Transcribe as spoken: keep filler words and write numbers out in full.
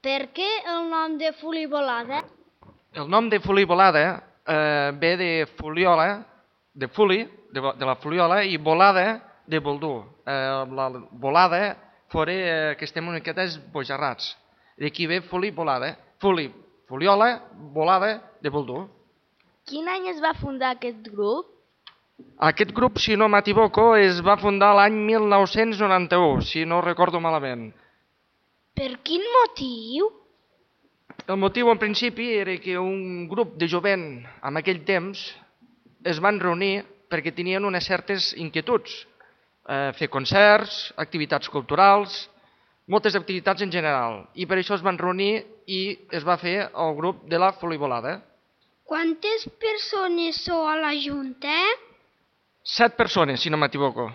Per què el nom de Fuli-volada? El nom de Fuli-volada eh, ve de Fuliola, de Fuli, de, de la Fuliola, i volada de Boldú. Eh, la volada fora eh, que estem una miqueta esbojarrats. D'aquí ve Fuli-volada. Fuli, Fuliola, volada de Boldú. Quin any es va fundar aquest grup? Aquest grup, si no m'equivoco, es va fundar l'any mil nou-cents noranta-u, si no recordo malament. Per quin motiu? El motiu en principi era que un grup de jovent en aquell temps es van reunir perquè tenien unes certes inquietuds. Eh, fer concerts, activitats culturals, moltes activitats en general. I per això es van reunir i es va fer el grup de la Fuli-volada. Quantes persones sou a la Junta? Set persones, si no m'equivoco.